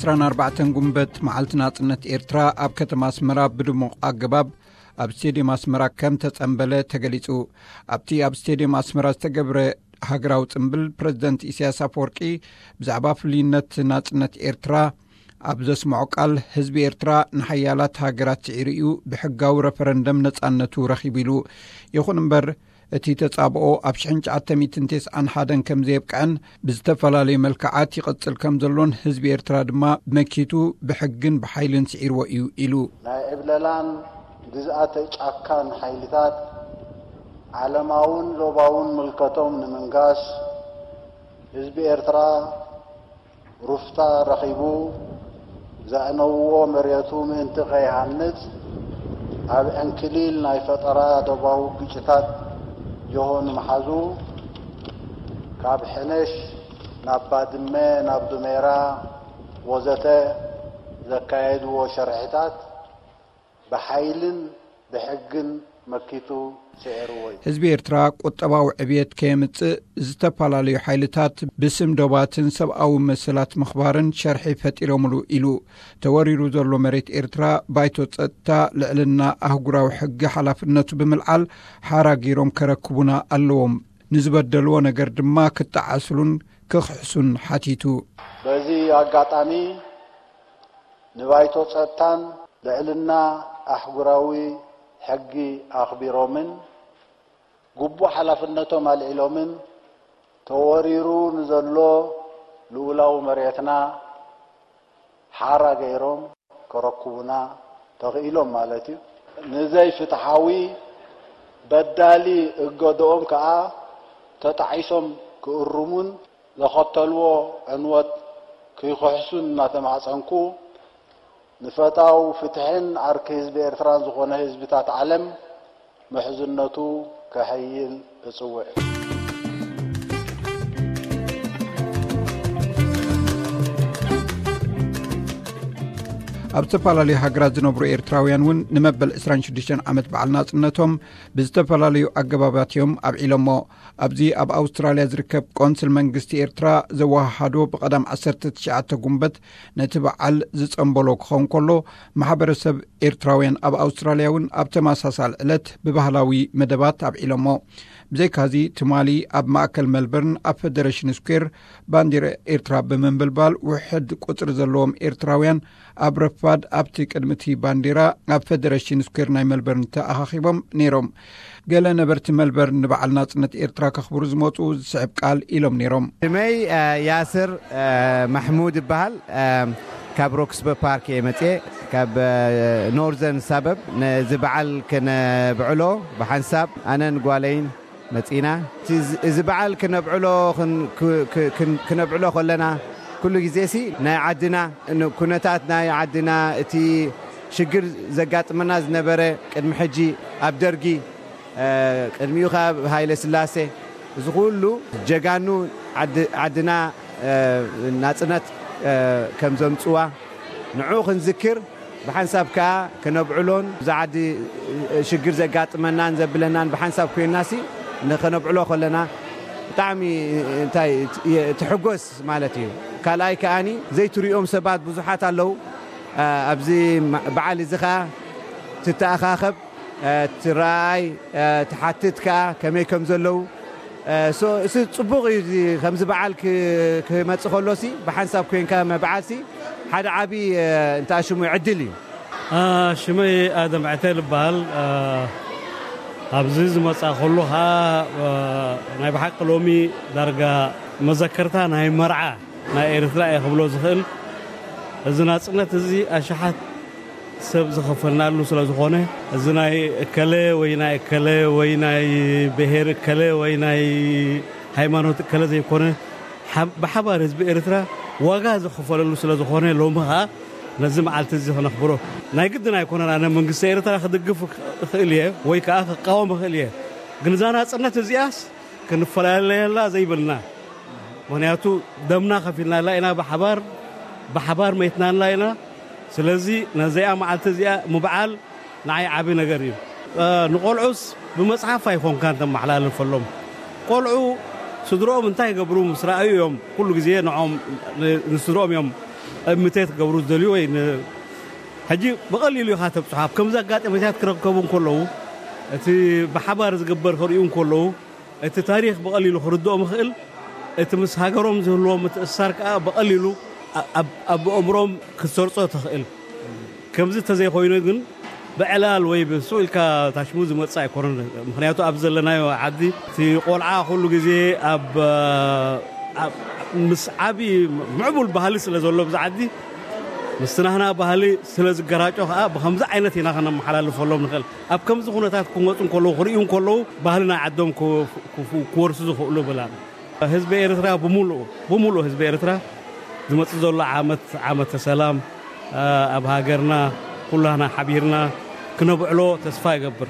ዕስራን ኣርባዕተን ጉንበት መዓልቲ ናጽነት ኤርትራ ኣብ ከተማ ኣስመራ ብድሙቕ ኣገባብ ኣብ ስቴድየም ኣስመራ ከም ተጸንበለ ተገሊጹ። ኣብቲ ኣብ ስቴድየም ኣስመራ ዝተገብረ ሃገራዊ ጽንብል፣ ፕረዚደንት ኢሳያስ ኣፈወርቂ ብዛዕባ ፍሉይነት ናጽነት ኤርትራ ኣብ ዘስምዖ ቃል፣ ህዝቢ ኤርትራ ንሓያላት ሃገራት ስዒሩ እዩ፣ ብሕጋዊ ረፈረንደም ነጻነቱ ረኺቡ ኢሉ። ይኹን እምበር፣ እቲ ተጻብኦ ኣብ ሽሕን ትሽዓተ ሚእትን ተስዓን ሓደን ከም ዘየብቅዐን፣ ብዝተፈላለዩ መልክዓት ይቕጽል ከም ዘሎን ህዝቢ ኤርትራ ድማ መኪቱ ብሕግን ብሓይልን ስዒርዎ እዩ ኢሉ። ናይ ዕብለላን ግዝኣተ ጫካን ሓይልታት ዓለማውን ዞባውን ምልከቶም ንምንጋስ፣ ህዝቢ ኤርትራ ሩፍታ ረኺቡ ዘዕነውዎ መሬቱ ምእንቲ ከይሃንጽ፣ ኣብ ዕንክሊል ናይ ፈጠራ ዶባዊ ግጭታት ጆሆ ንምሓዙ፣ ካብ ሕነሽ ናብ ባድመ፣ ናብ ዱሜራ ወዘተ ዘካየድዎ ሸርሕታት ብሓይልን ብሕግን መኪቱ ስዒርዎ እዩ። ህዝቢ ኤርትራ ቁጠባዊ ዕብየት ከየምጽእ፣ ዝተፈላለዩ ሓይልታት ብስም ዶባትን ሰብኣዊ መሰላት ምኽባርን ሸርሒ ፈጢሮምሉ ኢሉ። ተወሪሩ ዘሎ መሬት ኤርትራ፣ ባይቶ ጸጥታ፣ ልዕልና ኣህጉራዊ ሕጊ ሓላፍነቱ ብምልዓል ሓራ ገይሮም ከረክቡና ኣለዎም። ንዝበደልዎ ነገር ድማ ክጠዓስሉን ክኽሕሱን ሓቲቱ። በዚ ኣጋጣሚ ንባይቶ ጸጥታን ልዕልና ኣህጉራዊ ሕጊ ኣኽቢሮምን ግቡእ ሓላፍነቶም ኣልዒሎምን፣ ተወሪሩ ንዘሎ ልኡላዊ መሬትና ሓራ ገይሮም ከረክቡና ተኽኢሎም ማለት እዩ። ንዘይፍትሓዊ በዳሊ እገድኦም ከኣ ተጣዒሶም ክእርሙን ዘኸተልዎ ዕንወት ክይክሕሱን እናተማሕጸንኩ፣ ንፈታው ፍትሕን ዓርኪ ህዝቢ ኤርትራን ዝኾነ ህዝብታት ዓለም ምሕዝነቱ ከሐይል እጽውዕ። ኣብ ዝተፈላለዩ ሃገራት ዝነብሩ ኤርትራውያን እውን ንመበል ዕስራን ሽዱሽተን ዓመት በዓል ናጽነቶም ብዝተፈላለዩ ኣገባባት እዮም ኣብዒሎሞ። ኣብዚ ኣብ ኣውስትራልያ ዝርከብ ቆንስል መንግስቲ ኤርትራ ዘወሃሃዶ ብቐዳም ዓሰርተ ትሽዓተ ጉንበት ነቲ በዓል ዝጸንበሎ ክኸውን ከሎ፣ ማሕበረሰብ ኤርትራውያን ኣብ ኣውስትራልያ እውን ኣብ ተመሳሳሊ ዕለት ብባህላዊ መደባት ኣብዒሎሞ። ብዘይካዚ፣ ትማሊ ኣብ ማእከል ሜልበርን ኣብ ፌደሬሽን ስኩዌር ባንዲራ ኤርትራ ብምንብልባል፣ ውሕድ ቁጽሪ ዘለዎም ኤርትራውያን ኣብ ረፋድ ኣብቲ ቅድሚ እቲ ባንዲራ ኣብ ፌደሬሽን ስኩዌር ናይ ሜልበርን ተኣኻኺቦም ነይሮም። ገለ ነበርቲ ሜልበርን ንበዓል ናጽነት ኤርትራ ከኽብሩ ዝመጹ ዝስዕብ ቃል ኢሎም ነይሮም። ሽመይ፣ እ፣ ያስር፣ እ፣ ማሕሙድ ይበሃል። እ፣ ካብ ሮክስበ ፓርክ እየ መጽኤ፣ ካብ፣ እ፣ ኖርዘርን ሳበብ። ነዚ በዓል ክነብዕሎ ብሓንሳብ ኣነን ጓለይን መጺና። እቲ፣ እዚ በዓል ክነብዕሎ፣ ክን-፣ ክ-፣ ክ-፣ ክን-፣ ክነብዕሎ ከለና፣ ኩሉ ግዜ ሲ ናይ ዓድና፣ ን-፣ ኩነታት ናይ ዓድና፣ እቲ ሽግር ዘጋጥመና ዝነበረ ቅድሚ ሕጂ ኣብ ደርጊ፣ እ፣ ቅድሚኡ ከኣ ሃይለ ስላሴ፣ እዚ ኩሉ ጀጋኑ ዓድ-፣ ዓድና፣ እ፣ ናጽነት፣ እ፣ ከም ዘምጽዋ ንዑ ክንዝክር፣ ብሓንሳብ ከኣ ክነብዕሎን፣ እዚ ዓዲ ሽግር ዘጋጥመናን ዘብለናን ብሓንሳብ ኮይንና ሲ ንኸነብዕሎ ከለና ብጣዕሚ፣ እንታይ፣ ትሕጎስ ማለት እዩ። ካልኣይ ከኣኒ ዘይትሪኦም ሰባት ብዙሓት ኣለዉ። ኣ፣ ኣብዚ ማ-፣ በዓል እዚ ኸኣ ትተኣኻኸብ፣ እ፣ ትረኣይ፣ እ፣ ትሓትት ከኣ ከመይ ከም ዘለዉ። እ፣ ሶ-፣ እሱ ጽቡቕ እዩ። እዚ ከምዚ በዓል ክ-፣ ክመጽእ ከሎሲ ብሓንሳብ ኮይንካ ምብዓልሲ ሓደ ዓቢ፣ እ፣ እንታይ ሽሙ ዕድል እዩ። አ፣ ሽመይ ኣደም ዕቴል እበሃል። አ፣ ኣብዚ ዝመጻ ከሉ ኸኣ፣ አ፣ ናይ ብሓቂ ሎሚ ዳርጋ መዘከርታ ናይ መርዓ ናይ ኤርትራ እየ ክብሎ ዝኽእል። እዚ ናጽነት እዚ ኣሽሓት ሰብ ዝኸፈልናሉ ስለ ዝኾነ፣ እዚ ናይ እከለ ወይ ናይ እከለ ወይ ናይ ብሄር እከለ ወይ ናይ ሃይማኖት እከለ ዘይኮነ፣ ሓ-፣ ብሓባር ህዝቢ ኤርትራ ዋጋ ዝኸፈለሉ ስለ ዝኾነ፣ ሎሚ ኸኣ ነዚ መዓልቲ እዚ ክነኽብሮ ናይ ግድን ኣይኮነን። ኣነ መንግስቲ ኤርትራ ክድግፍ እኽእል እየ ወይ ከኣ ክቃወም እኽእል እየ። ግን እዛ ናጽነት እዚኣስ ክንፈላለየላ ዘይብልና። ምኽንያቱ ደምና ከፊልናላ ኢና፣ ብሓባር፣ ብሓባር መይትናላ ኢና። ስለዚ ነዚኣ መዓልቲ እዚኣ ምብዓል ንዓይ ዓቢ ነገር እዩ። እ፣ ንቆልዑስ ብመጽሓፍ ኣይኮንካን ተመሓላልፈሎም። ቆልዑ ስድሮኦም እንታይ ይገብሩ ምስ ረኣዩ እዮም ኩሉ ግዜ ንዖም፣ ን-፣ ንስድሮኦም እዮም እምተት ክገብሩ ዝደልዩ ወይ ን-፣ ሕጂ ብቐሊሉ ኢኻ ተብፅሖ። ኣብ ከምዚ ኣጋጣሚታት ክረከቡ እንከለዉ፣ እቲ ብሓባር ዝግበር ክርእዩ እንከለዉ፣ እቲ ታሪኽ ብቐሊሉ ክርድኦም ይኽእል። እቲ ምስ ሃገሮም ዝህልዎም ምትእስሳር ከኣ ብቐሊሉ ኣ-፣ ኣብ፣ ኣብ ኣእምሮም ክትሰርጾ ትኽእል። ከምዚ እንተዘይኮይኑ ግን ብዕላል ወይ ብስቕ ኢልካ ታሽሙ ዝመጽእ ኣይኮነን። ምኽንያቱ ኣብ ዘለናዮ ዓዲ እቲ ቆልዓ ኩሉ ግዜ ኣብ፣ ኣብ፣ ምስ ዓቢ ምዕቡል ባህሊ ስለ ዘሎ ብዚ ዓዲ ምስቲ ናህና ባህሊ ስለ ዝገራጮ ከኣ ብኸምዚ ዓይነት ኢና ከነመሓላልፈሎም ንኽእል። ኣብ ከምዚ ኩነታት ክመጹ እንከለዉ፣ ክርእዩ እንከለዉ ባህሊ ናይ ዓዶም ክወ-፣ ክፉ-፣ ክወርሱ ዝኽእሉ ብላን። ህዝቢ ኤርትራ ብምሉኡ፣ ብምሉኡ ህዝቢ ኤርትራ ዝመጽእ ዘሎ ዓመት፣ ዓመተ ሰላም፣ ኣ፣ ኣብ ሃገርና ኩላህና ሓቢርና ክነብዕሎ ተስፋ ይገብር።